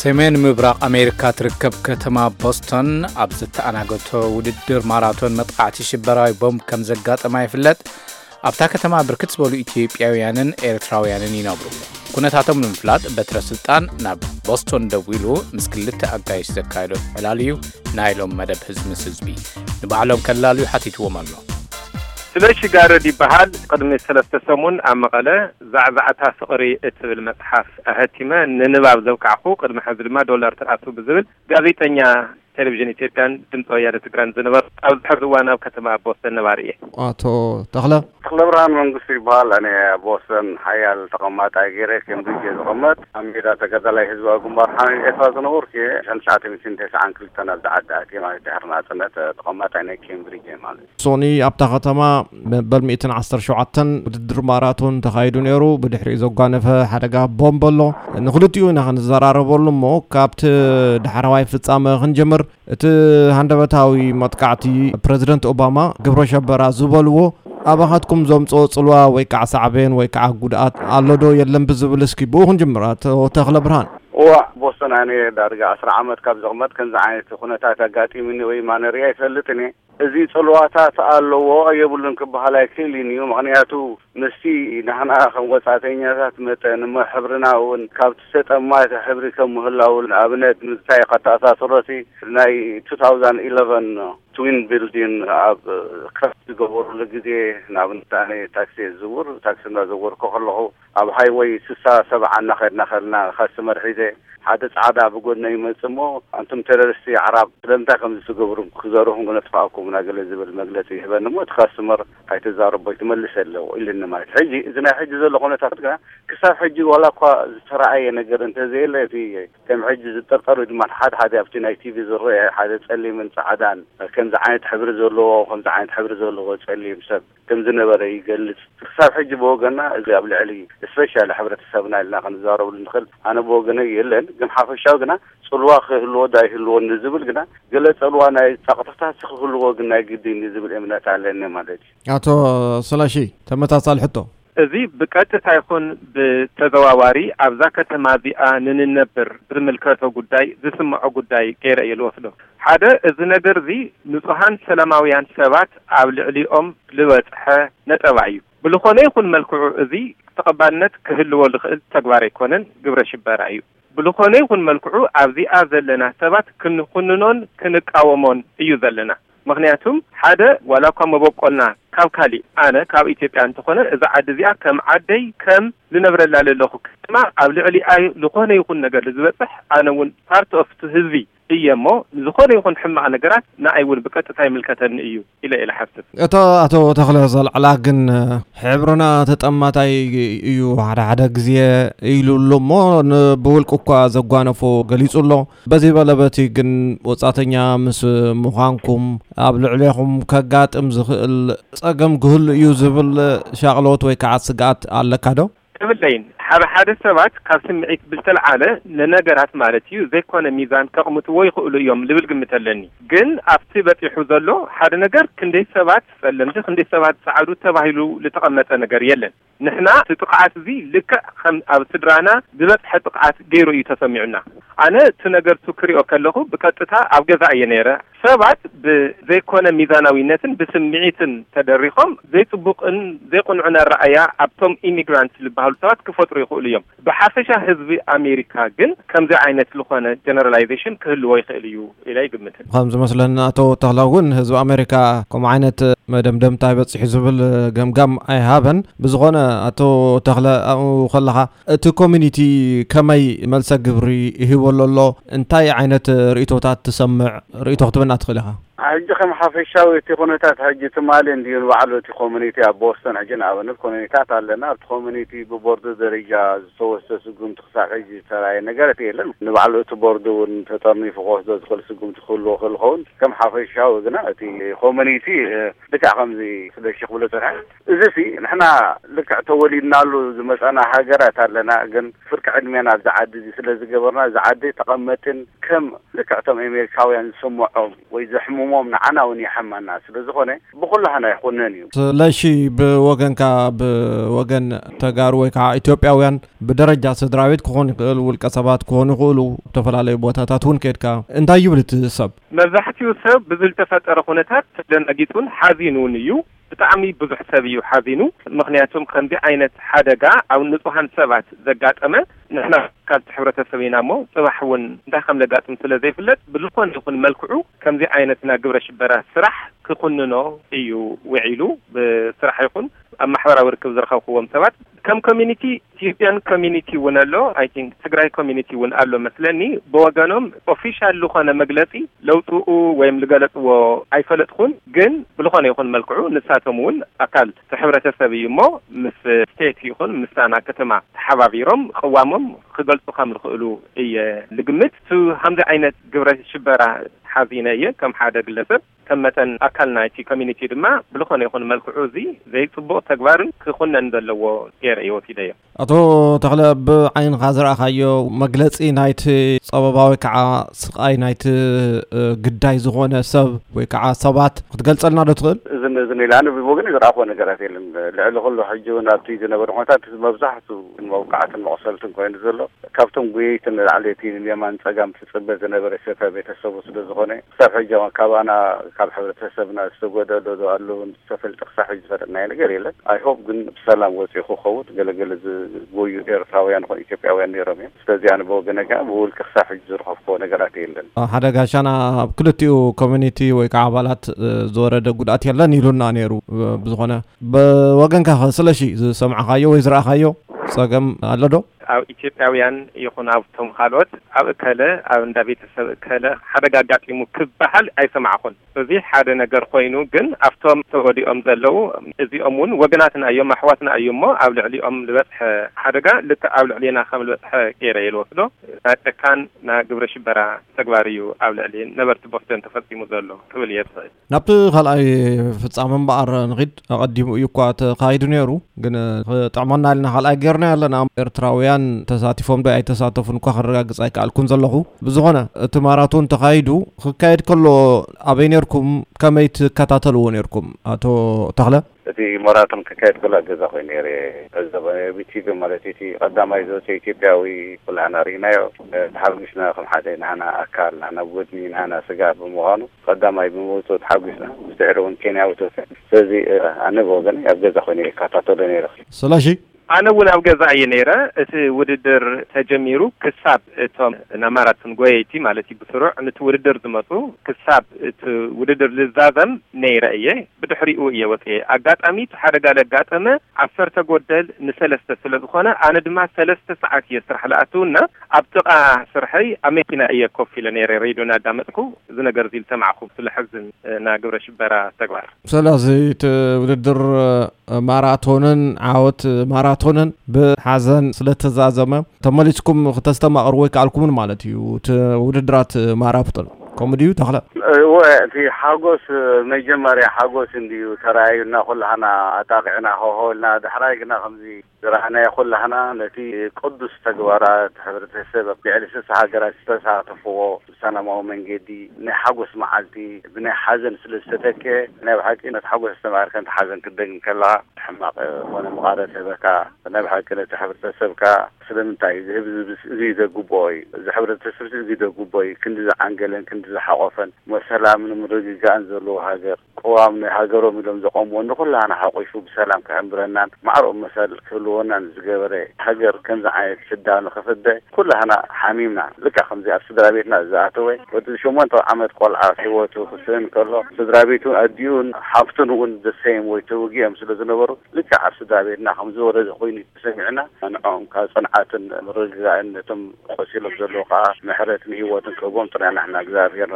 ሰሜን ምብራቕ ኣሜሪካ ትርከብ ከተማ ቦስቶን ኣብ ዝተኣናገቶ ውድድር ማራቶን መጥቃዕቲ ሽበራዊ ቦምብ ከም ዘጋጠማ ይፍለጥ። ኣብታ ከተማ ብርክት ዝበሉ ኢትዮጵያውያንን ኤርትራውያንን ይነብሩ። ኩነታቶም ንምፍላጥ በትረ ስልጣን ናብ ቦስቶን ደዊሉ ምስ ክልተ ኣጋይሽ ዘካየዶ ዕላል እዩ። ናይ ሎም መደብ ህዝቢ ምስ ህዝቢ ንባዕሎም ከላልዩ ሓቲትዎም ኣሎ። ስለሺ ጋረድ ይበሃል። ቅድሚ ሰለስተ ሰሙን ኣብ መቐለ ዛዕዛዕታ ፍቕሪ እትብል መጽሓፍ ኣሀቲመ ንንባብ ዘብቃዕኩ፣ ቅድሚ ሕዚ ድማ ዶላር ትኣቱ ብዝብል ጋዜጠኛ ቴሌቪዥን ኢትዮጵያን ድምፂ ወያነ ትግራይን ዝነበሩ፣ ኣብዚ ሕዚ እዋን ኣብ ከተማ ቦስተን ነባሪ እየ። ኣቶ ተኽለ። ተኽለ ብርሃን መንግስቱ ይበሃል። ኣነ ቦስተን ሓያል ተቐማጣይ ገይረ፣ ኬምብሪጅ እየ ዝቐመጥ። ኣብ ሜዳ ተጋዳላይ ህዝባዊ ግንባር ሓመድ ኤርትራ ዝነበርኩ እየ። ሸሕን ትሽዓተ ሚእትን ተስዓን ክልተን ኣብዚ ዓዲ ኣትየ፣ ማለት ድሕሪ ናጽነት ተቐማጣይ ናይ ኬምብሪጅ እየ ማለት። ሶኒ ኣብታ ከተማ መበል ሚእትን ዓሰርተ ሸውዓተን ውድድር ማራቶን ተኻይዱ ነይሩ። ብድሕሪኡ ዘጓነፈ ሓደጋ ቦምብ ኣሎ። ንክልቲኡ ኢና ክንዘራረበሉ እሞ፣ ካብቲ ዳሕረዋይ ፍጻመ ክንጀምር። እቲ ሃንደበታዊ መጥቃዕቲ፣ ፕረዚደንት ኦባማ ግብረ ሸበራ ዝበልዎ ኣባኻትኩም ዘምጽኦ ጽልዋ ወይ ከዓ ሳዕቤን ወይ ከዓ ጉድኣት ኣሎ ዶ የለን ብዝብል፣ እስኪ ብኡ ክንጅምር። ኣቶ ተኽለ ብርሃን። እዋ፣ ቦስተን ኣነ ዳርጋ ዓስራ ዓመት ካብ ዘቕመጥ ከምዚ ዓይነት ኩነታት ኣጋጢሙኒ ወይ ማነርያ ኣይፈልጥን እየ። እዚ ጽልዋታት ኣለዎ የብሉን ክበሃል ኣይክእልን እዩ። ምኽንያቱ ምስቲ ንሕና ከም ወጻእተኛታት መጠን እሞ ሕብርና እውን ካብቲ ዝተጠማተ ሕብሪ ከም ምህላው፣ ንኣብነት ምስታይ ከተኣሳስሮሲ ናይ ቱ ታውዛንድ ኢለቨን ትዊን ቢልዲን ኣብ ክራሽ ዝገበሩሉ ግዜ፣ ንኣብነት ኣነ ታክሲ እየ ዝዝውር፣ ታክሲ እናዘወርኩ ከለኹ ኣብ ሃይወይ ስሳ ሰብዓ እናኸድና ከልና ካስተመር ሒዘ ሓደ ጻዕዳ ብጎድነ ይመጽእ እሞ፣ "ኣንቱም ቴሮሪስት ኣዕራብ ስለምንታይ ከምዚ ትገብሩ? ክዘርኹም ክነጥፍኣኩም ኢና" ገለ ዝብል መግለጺ ይህበኒ እሞ፣ እቲ ካስተመር "ኣይትዛረቦ፣ ኣይትመልስ ኣለዎ" ኢሉኒ ማለት። ሕጂ እዚ ናይ ሕጂ ዘሎ ኩነታት ግና ክሳብ ሕጂ ዋላ እኳ ዝተረኣየ ነገር እንተዘየለ፣ እቲ ከም ሕጂ ዝጠርጠሩ ድማ ሓደ ሓደ ኣብቲ ናይ ቲቪ ዝረአ ሓደ ጸሊምን ጻዕዳን ከምዚ ዓይነት ሕብሪ ዘለዎ፣ ከምዚ ዓይነት ሕብሪ ዘለዎ ጸሊም ሰብ ከም ዝነበረ ይገልጽ። ክሳብ ሕጂ ብወገና እዚ ኣብ ልዕሊ ስፔሻሊ ሕብረተሰብና ኢልና ክንዛረብሉ ንኽእል፣ ኣነ ብወገነይ የለን። ግን ሓፈሻዊ ግና ጽልዋ ክህልዎ ዶ ኣይህልዎን ንዝብል ግና፣ ገለ ጽልዋ ናይ ጸቕጥታት ክህልዎ ግን ናይ ግድን እዩ ዝብል እምነት ኣለኒ ማለት እዩ። ኣቶ ስለሺ፣ ተመሳሳሊ ሕቶ። እዚ ብቀጥታ ይኹን ብተዘዋዋሪ ኣብዛ ከተማ እዚኣ ንንነብር ዝምልከቶ ጉዳይ፣ ዝስምዖ ጉዳይ ገይረ እየ ዝወስዶ። ሓደ፣ እዚ ነገር እዚ ንጹሃን ሰላማውያን ሰባት ኣብ ልዕሊኦም ዝበጽሐ ነጠባ እዩ። ብልኾነ ይኹን መልክዑ እዚ ተቐባልነት ክህልዎ ዝኽእል ተግባር ኣይኮነን፣ ግብረ ሽበራ እዩ። ብልኾነ ይኹን መልክዑ ኣብዚኣ ዘለና ሰባት ክንኹንኖን ክንቃወሞን እዩ ዘለና። ምኽንያቱም ሓደ፣ ዋላ እኳ መበቆልና ካብ ካሊእ፣ ኣነ ካብ ኢትዮጵያ እንተኾነ፣ እዛ ዓዲ እዚኣ ከም ዓደይ፣ ከም ዝነብረላ ዘለኹ ከተማ፣ ኣብ ልዕሊኣ ዝኾነ ይኹን ነገር ዝበጽሕ፣ ኣነ እውን ፓርት ኦፍ እቲ ህዝቢ እየ እሞ፣ ዝኾነ ይኹን ሕማቕ ነገራት ንኣይ እውን ብቀጥታ ይምልከተኒ እዩ ኢለ እየ ዝሓስብ። እቶ ኣቶ ተኽለ ዘልዕላ ግን፣ ሕብርና ተጠማታይ እዩ ሓደ ሓደ ግዜ ኢሉ ኣሎ እሞ፣ ን-፣ ብውልቂ እኳ ዘጓነፎ ገሊጹ ኣሎ። በዚ በለ በቲ ግን ወጻእተኛ ምስ ምዃንኩም ኣብ ልዕሌኹም ከጋጥም ዝኽእል ጸገም ክህሉ እዩ ዝብል ሻቕሎት ወይ ከዓ ስግኣት ኣለካ ዶ? የብለይን። ሓደ ሓደ ሰባት ካብ ስምዒት ብዝተልዓለ ንነገራት ማለት እዩ ዘይኮነ ሚዛን ከቕምጥዎ ይኽእሉ እዮም ልብል ግምት ኣለኒ። ግን ኣብቲ በጺሑ ዘሎ ሓደ ነገር ክንደይ ሰባት ጸለምቲ፣ ክንደይ ሰባት ጸዓዱ ተባሂሉ ዝተቐመጠ ነገር የለን። ንሕና እቲ ጥቕዓት እዚ ልክዕ ከም ኣብ ስድራና ዝበጽሐ ጥቕዓት ገይሩ እዩ ተሰሚዑና። ኣነ እቲ ነገር ቱ ክሪኦ ከለኹ ብቀጥታ ኣብ ገዛ እየ ነይረ። ሰባት ብዘይኮነ ሚዛናዊነትን ብስምዒትን ተደሪኾም ዘይጽቡቕን ዘይቅኑዕን ኣረኣያ ኣብቶም ኢሚግራንት ዝበሃሉ ሰባት ክፈጥሩ ይኽእሉ እዮም። ብሓፈሻ ህዝቢ ኣሜሪካ ግን ከምዚ ዓይነት ዝኾነ ጀነራላይዜሽን ክህልዎ ይኽእል እዩ ኢለ ኣይግምትን። ከም ዝመስለኒ ኣቶ ተኽለ እውን ህዝቢ ኣሜሪካ ከምኡ ዓይነት መደምደምታ ይበጽሕ ዝብል ገምጋም ኣይሃበን። ብዝኾነ ኣቶ ተኽለ ኣብኡ ከለኻ እቲ ኮሚኒቲ ከመይ መልሰ ግብሪ ይህበሉ ኣሎ? እንታይ ዓይነት ርእይቶታት ትሰምዕ? ርእይቶ ክትበና ትኽእል ኢኻ? ሕጂ ከም ሓፈሻዊ እቲ ኩነታት ሕጂ ትማሊ እንድዩ ንባዕሉ እቲ ኮሚኒቲ ኣብ ቦስተን ሕጂ ንኣብነት ኮሚኒታት ኣለና። ኣብቲ ኮሚኒቲ ብቦርድ ደረጃ ዝተወስደ ስጉምቲ ክሳብ ሕጂ ዝተራየ ነገር እቲ የለን። ንባዕሉ እቲ ቦርድ እውን ተጠርኒፉ ክወስዶ ዝኽእል ስጉምቲ ክህልዎ ክእል ኸውን። ከም ሓፈሻዊ ግና እቲ ኮሚኒቲ፣ እ፣ ልክዕ ከምዚ ስለሺ ክብሎ ጸንሐ። እዚ ሲ ንሕና ልክዕ ተወሊድናሉ ዝመጻና ሃገራት ኣለና፣ ግን ፍርቂ ዕድሜና ኣብዚ ዓዲ እዚ ስለ ዝገበርና፣ እዚ ዓዲ ተቐመጥን ከም ልክዕ እቶም ኣሜሪካውያን ዝስምዖም ወይ ዘሕምሙ እሞም ንዓና እውን የሐማና ስለ ዝኾነ ብኩላህና ይኹነን እዩ። ስለሺ፣ ብወገንካ፣ ብወገን ተጋሩ ወይ ከዓ ኢትዮጵያውያን ብደረጃ ስድራ ቤት ክኾን ይኽእል፣ ውልቀ ሰባት ክኾኑ ይኽእሉ፣ ዝተፈላለዩ ቦታታት እውን ከድካ እንታይ ይብል እቲ ሰብ? መብዛሕትኡ ሰብ ብዝተፈጠረ ኩነታት ተደናጊጹን ሓዚኑን እዩ። ብጣዕሚ ብዙሕ ሰብ እዩ ሓዚኑ። ምኽንያቱም ከምዚ ዓይነት ሓደጋ ኣብ ንጹሃን ሰባት ዘጋጠመ ንሕና ካብቲ ሕብረተሰብ ኢና እሞ፣ ጽባሕ እውን እንታይ ከም ዘጋጥም ስለ ዘይፍለጥ፣ ብዝኾነ ይኹን መልክዑ ከምዚ ዓይነት ናይ ግብረ ሽበራ ስራሕ ክኹንኖ እዩ ውዒሉ። ብስራሕ ይኹን ኣብ ማሕበራዊ ርክብ ዝረኸብክዎም ሰባት፣ ከም ኮሚኒቲ፣ ኢትዮጵያን ኮሚኒቲ እውን ኣሎ፣ I think ትግራይ ኮሚኒቲ እውን ኣሎ መስለኒ። ብወገኖም ኦፊሻል ዝኾነ መግለጺ ለውፅኡ ወይም ዝገለፅዎ ኣይፈለጥኩን፣ ግን ብዝኾነ ይኹን መልክዑ ንሳቶም እውን ኣካል እቲ ሕብረተሰብ እዩ እሞ፣ ምስ ስቴት ይኹን ምስታ ናይ ከተማ ተሓባቢሮም ቅዋሞም ክገልፁ ከም ዝኽእሉ እየ ዝግምት። እቲ ከምዚ ዓይነት ግብረ ሽበራ ሓዚነ እየ ከም ሓደ ግለሰብ፣ ከም መጠን ኣካል ናይቲ ኮሚኒቲ ድማ ብዝኾነ ይኹን መልክዑ እዚ ዘይፅቡቕ ተግባርን ክኹነን ዘለዎ ገይረ እየ ወሲደዮ። ኣቶ ተኽለ፣ ብዓይንኻ ዝረኣኻዮ መግለጺ ናይቲ ጸበባ ወይ ከዓ ስቓይ ናይቲ፣ እ፣ ግዳይ ዝኾነ ሰብ ወይ ከዓ ሰባት ክትገልጸልና ዶ ትኽእል? እዚ፣ እዚ ኢለ ኣነ ብወገነይ ዝረኣኽዎ ነገራት የለን። ልዕሊ ኩሉ ሕጂ እውን ኣብቲ ዝነበረ ኩነታት መብዛሕቱ መውቃዕትን መቑሰልትን ኮይኑ ዘሎ ካብቶም ጎየይቲ ንላዕሊ እቲ ንየማን ጸጋም ትጽበ ዝነበረ ሰፈ ቤተሰቡ ስለ ዝኾነ ክሳብ ሕጂ እውን ካባና ካብ ሕብረተሰብና ዝተጎደለ ዶ ኣለውን ዝተፈልጠ ክሳብ ሕጂ ዝፈለጥናዮ ነገር የለን። I hope ግን ብሰላም ወፂኡ ክኸውን። ገለገለ ዝጎዩ ኤርትራውያን ይኹን ኢትዮጵያውያን ነይሮም እዮም። ስለዚ ኣነ ብወገነ ከዓ ብውልቂ ክሳብ ሕጂ ዝረኸብክዎ ነገራት የለን። ሓደ ጋሻና ኣብ ክልቲኡ ኮሚኒቲ ወይ ከዓ ኣባላት፣ እ፣ ዝወረደ ጉድኣት የለን ኢሉና ነይሩ። እ፣ ብዝኾነ ብወገንካ ኸ ስለሺ ዝሰማዕኻዮ ወይ ዝረኣኻዮ ጸገም ኣሎ ዶ? ኣብ ኢትዮጵያውያን ይኹን ኣብቶም ካልኦት ኣብ እከለ ኣብ እንዳ ቤተሰብ እከለ ሓደጋ ኣጋጢሙ ክበሃል ኣይሰማዕኹን። እዚ ሓደ ነገር ኮይኑ ግን ኣብቶም ተጎዲኦም ዘለዉ እዚኦም እውን ወገናትና እዮም፣ ኣሕዋትና እዮም እሞ ኣብ ልዕሊኦም ዝበፅሐ ሓደጋ ልክዕ ኣብ ልዕሌና ከም ዝበፅሐ ገይረ እየ ዝወስዶ። ናይ ጨካን ናይ ግብረ ሽበራ ተግባር እዩ ኣብ ልዕሊ ነበርቲ ቦስተን ተፈፂሙ ዘሎ ክብል እየ ዝኽእል። ናብቲ ካልኣይ ፍጻመ እምበኣር ንኺድ። ኣቐዲሙ እዩ እኳ ተኻይዱ ነይሩ፣ ግን ክጥዕመና ኢልና ካልኣይ ጌርና ኣለና። ኤርትራውያን ተሳቲፎም ዶ ኣይተሳተፉን እኳ ክረጋግጽ ኣይከኣልኩን ዘለኹ። ብዝኾነ፣ እቲ ማራቶን ተኻይዱ ክካየድ ከሎ ኣበይ ነርኩም? ከመይ ትከታተልዎ ነርኩም? ኣቶ ተኽለ? እቲ ማራቶን ክካየድ ከሎ ኣብ ገዛ ኮይኑ ነይረ። እዚ ብ ቲቪ ማለት እዩ። እቲ ቀዳማይ ዝወፀ ኢትዮጵያዊ ኩላህና ርኢናዮ። ተሓጒስና፣ ከም ሓደ ናህና ኣካል፣ ናህና ጎድኒ፣ ናህና ስጋ ብምዃኑ ቀዳማይ ብምውፅኡ ተሓጒስና። ምስ ድሕሪ እውን ኬንያዊ ተወሰነ። ስለዚ፣ ኣነ ብወገነይ ኣብ ገዛ ኮይነ ይከታተሎ ነይረ። ስለሺ? ኣነ እውን ኣብ ገዛ እየ ነይረ። እቲ ውድድር ተጀሚሩ ክሳብ እቶም ናይ ማራቶን ጎየይቲ ማለት እዩ ብስሩዕ ነቲ ውድድር ዝመፁ ክሳብ እቲ ውድድር ዝዛዘም ነይረ እየ። ብድሕሪኡ እየ ወፅየ። ኣጋጣሚ እቲ ሓደጋ ለጋጠመ ዓሰርተ ጎደል ንሰለስተ ስለ ዝኾነ ኣነ ድማ ሰለስተ ሰዓት እየ ስራሕ ለኣትውና ኣብ ጥቓ ስርሐይ ኣብ መኪና እየ ኮፍ ኢለ ነይረ ሬድዮ እናዳመፅኩ እዚ ነገር እዚ ዝሰማዕኩ ስለሐዝን እ፣ ናይ ግብረ ሽበራ ተግባር። ስለዚ እቲ ውድድር፣ እ፣ ማራቶንን ዓወት ማራቶንን ብሓዘን ስለተዛዘመ ተመሊስኩም ክተስተማቕርዎ ኣይከኣልኩምን ማለት እዩ። እቲ ውድድራት ማራቶን ከምኡ ድዩ ተኽለ? እወ፣ እቲ ሓጎስ መጀመርያ ሓጎስ እንድዩ ተራእዩና፣ ኩላህና ኣጣቂዕና ሆሆ ኢልና። ዳሕራይ ግና ከምዚ ዝረኣናዮ ኩላህና ነቲ ቅዱስ ተግባራት ሕብረተሰብ ኣብ ልዕሊ ስሳ ሃገራት ዝተሳተፍዎ ብሰላማዊ መንገዲ ናይ ሓጎስ መዓልቲ ብናይ ሓዘን ስለ ዝተተክአ፣ ናይ ብሓቂ ነቲ ሓጎስ ኣስተማቒርካ ነቲ ሓዘን ክትደግም ከለኻ ሕማቕ ኮነ መቓረቲ ህበካ። ናይ ብሓቂ ነቲ ሕብረተሰብካ ስለምንታይ እዚ ህዝቢ እዚ ዘግብኦ እዩ፣ እዚ ሕብረተሰብ እዚ ዘግብኦ እዩ፣ ክንዲ ዝዓንገለን ክንዲ ዝሓቖፈን እሞ ሰላምን ምርግጋእን ዘለዎ ሃገር ቅዋም ናይ ሃገሮም ኢሎም ዘቆምዎ ንኩላህና ሓቂፉ ብሰላም ክሕንብረናን ማዕረኡ መሰል ክህልወናን ዝገበረ ሃገር ከምዚ ዓይነት ሽዳ ንኽፍደ ኩላህና ሓሚምና። ልክዕ ከምዚ ኣብ ስድራ ቤትና ዝኣተወ ወዲ ሸሞንተ ዓመት ቆልዓ ህይወቱ ክስእን ከሎ ስድራ ቤቱ ኣዲኡን ሓፍቱን እውን the same ወይ ተወጊኦም ስለ ዝነበሩ ልክዕ ኣብ ስድራ ቤትና ከም ዝወረደ ኮይኑ ተሰሚዕና ንዕኦም ካብ ጽንዓትን ምርግጋእን ነቶም ቆሲሎም ዘለዉ ከዓ ምሕረት ንህይወትን ክህቦም ጥራይ ንሕና እግዚኣብሔር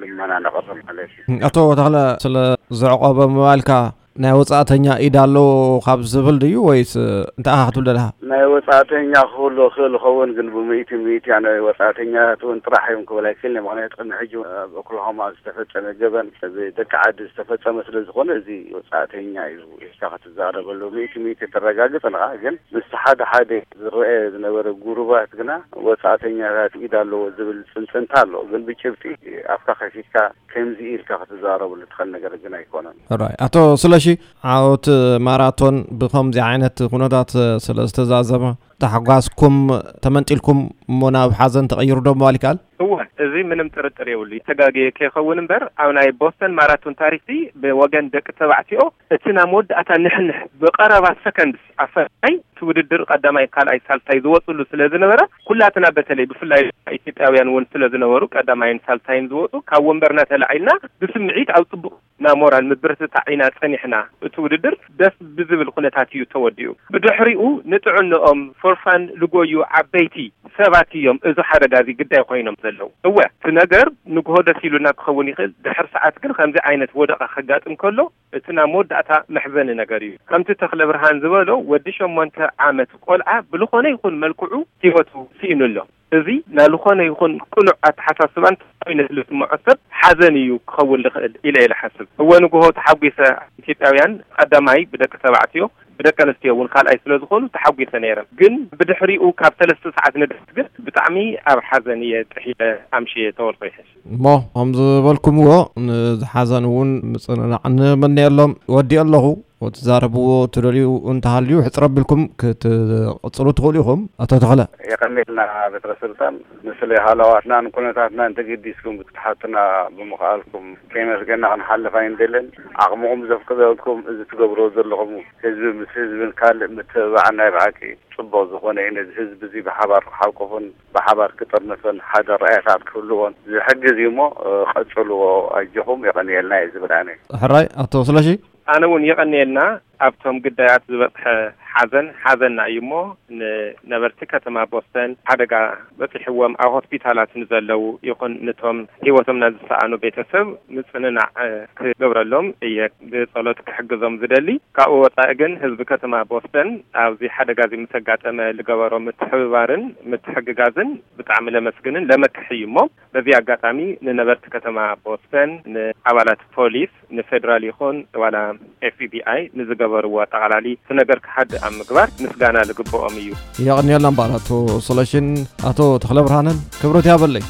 ልመና ነቕርብ ማለት እዩ። ኣቶ ተኽለ ስለ ዘዕቆበ ምባልካ ናይ ወጻእተኛ ኢድ ኣሎ ካብ ዝብል ድዩ ወይስ እንታይ ኢኻ ክትብል ደለኻ? ናይ ወጻእተኛ ክህሉ ክእል ይኸውን፣ ግን ብምእቲ ምእቲ ናይ ወጻእተኛታት እውን ጥራሕ እዮም ክብል ኣይክእልን። ምክንያቱ ቅድሚ ሕጂ ኣብ ኦክላሆማ ዝተፈጸመ ገበን ብደቂ ዓዲ ዝተፈጸመ ስለ ዝኾነ፣ እዚ ወጻእተኛ እዩ ኢልካ ክትዛረበሉ ምእቲ ምእቲ ተረጋግጽ ንኻ። ግን ምስ ሓደ ሓደ ዝረአ ዝነበረ ጉሩባት ግና ወጻእተኛታት ኢድ ኣለዎ ዝብል ጽንጽንታ ኣሎ። ግን ብጭብጢ ኣፍካ ከፊትካ ከምዚ ኢልካ ክትዛረብሉ ትኽእል ነገር ግን ኣይኮነን። ራይ ኣቶ ስለሺ፣ ዓወት ማራቶን ብከምዚ ዓይነት ኩነታት ስለ ዝተዛዘመ ተሓጓስኩም፣ ተመንጢልኩም እሞ ናብ ሓዘን ተቐይሩ ዶ ምባል ይከኣል? እወ፣ እዚ ምንም ጥርጥር የብሉ። ይተጋገየ ከይኸውን እምበር ኣብ ናይ ቦስተን ማራቶን ታሪኽሲ ብወገን ደቂ ተባዕትዮ እቲ ናይ መወዳእታ ንሕንሕ ብቐረባ ሰከንድስ ኣፈላይ እቲ ውድድር ቀዳማይ፣ ካልኣይ፣ ሳልሳይ ዝወፅሉ ስለ ዝነበረ ኩላትና በተለይ ብፍላይ ኢትዮጵያውያን እውን ስለ ዝነበሩ ቀዳማይን ሳልሳይን ዝወፁ ካብ ወንበርና ተላዒልና ብስምዒት ኣብ ፅቡቕ ናይ ሞራል ምብርትታዕ ኢና ጸኒሕና። እቲ ውድድር ደስ ብዝብል ኩነታት እዩ ተወዲኡ። ብድሕሪኡ ንጥዕንኦም for fun ልጎዩ ዓበይቲ ሰባት እዮም እዚ ሓደጋ እዚ ግዳይ ኮይኖም ዘለዉ። እወ እቲ ነገር ንግሆ ደስ ኢሉና ክኸውን ይኽእል፣ ድሕሪ ሰዓት ግን ከምዚ ዓይነት ወደቓ ከጋጥም ከሎ እቲ ናይ መወዳእታ መሕዘኒ ነገር እዩ። ከምቲ ተኽለብርሃን ዝበሎ ወዲ ሸሞንተ ዓመት ቆልዓ ብልኾነ ይኹን መልክዑ ህይወቱ ስኢኑ ኣሎ። እዚ ናይ ዝኾነ ይኹን ቅኑዕ ኣተሓሳስባን ተሰማሚነት ልስምዖ ሰብ ሓዘን እዩ ክኸውን ልኽእል ኢለ እየ ልሓስብ። እወ ንግሆ ተሓጒሰ ኢትዮጵያውያን ቀዳማይ ብደቂ ተባዕትዮ ብደቂ ኣንስትዮ እውን ካልኣይ ስለ ዝኾኑ ተሓጒሰ ነይረ። ግን ብድሕሪኡ ካብ ሰለስተ ሰዓት ንድሕር ግን ብጣዕሚ ኣብ ሓዘን እየ ጥሒለ ኣምሽየ ተወልፎ ይሕሽ። እሞ ከም ዝበልኩምዎ ንዝሓዘን እውን ምጽንናዕ ንምነየሎም። ወዲኦ ኣለኹ። ትዛረብዎ ትደልዩ እንተሃልዩ ሕጽር ኣቢልኩም ክትቕጽሉ ትኽእሉ ኢኹም። ኣቶ ተኽለ። የቐኔልና በትረ ስልጣን፣ ንስለ ሃለዋትናን ኩነታትናን ተገዲስኩም ክትሓቱና ብምኽኣልኩም ከየመስገና ክንሓልፍ ኣይንደልን። ዓቕምኹም ዘፍቅደልኩም እዚ ትገብርዎ ዘለኹም ህዝቢ ምስ ህዝብን ካልእ ምትብባዕን ናይ ብሓቂ ጽቡቕ ዝኾነ እዩ። ነዚ ህዝቢ እዚ ብሓባር ክሓቁፍን ብሓባር ክጥርንፍን ሓደ ራእያታት ክህልዎን ዝሕግዝ እዩ እሞ ቀጽልዎ ኣጆኹም የቐንየልና እየ ዝብል ኣነ። ሕራይ ኣቶ ስለሺ። ኣነ እውን የቐንየልና ኣብቶም ግዳያት ዝበፅሐ ሓዘን ሓዘንና እዩ እሞ ንነበርቲ ከተማ ቦስተን ሓደጋ በፂሕዎም ኣብ ሆስፒታላት ንዘለዉ ይኹን ንቶም ህይወቶም ናዝሰኣኑ ቤተሰብ ምፅንናዕ ክገብረሎም እየ ብፀሎት ክሕግዞም ዝደሊ። ካብኡ ወፃኢ ግን ህዝቢ ከተማ ቦስተን ኣብዚ ሓደጋ እዚ ምስ ኣጋጠመ ዝገበሮ ምትሕብባርን ምትሕግጋዝን ብጣዕሚ ለመስግንን ለመክሕ እዩ እሞ በዚ ኣጋጣሚ ንነበርቲ ከተማ ቦስተን፣ ንኣባላት ፖሊስ፣ ንፌደራል ይኹን ዋላ ኤፍቢኣይ ንዝገበርዎ ኣጠቓላሊ እቲ ነገር ክሓድእ ኣብ ምግባር ምስጋና ዝግብኦም እዩ። የቐንየልና እምበኣር ኣቶ ስለሽን ኣቶ ተኽለብርሃንን ክብረት ያበለይ።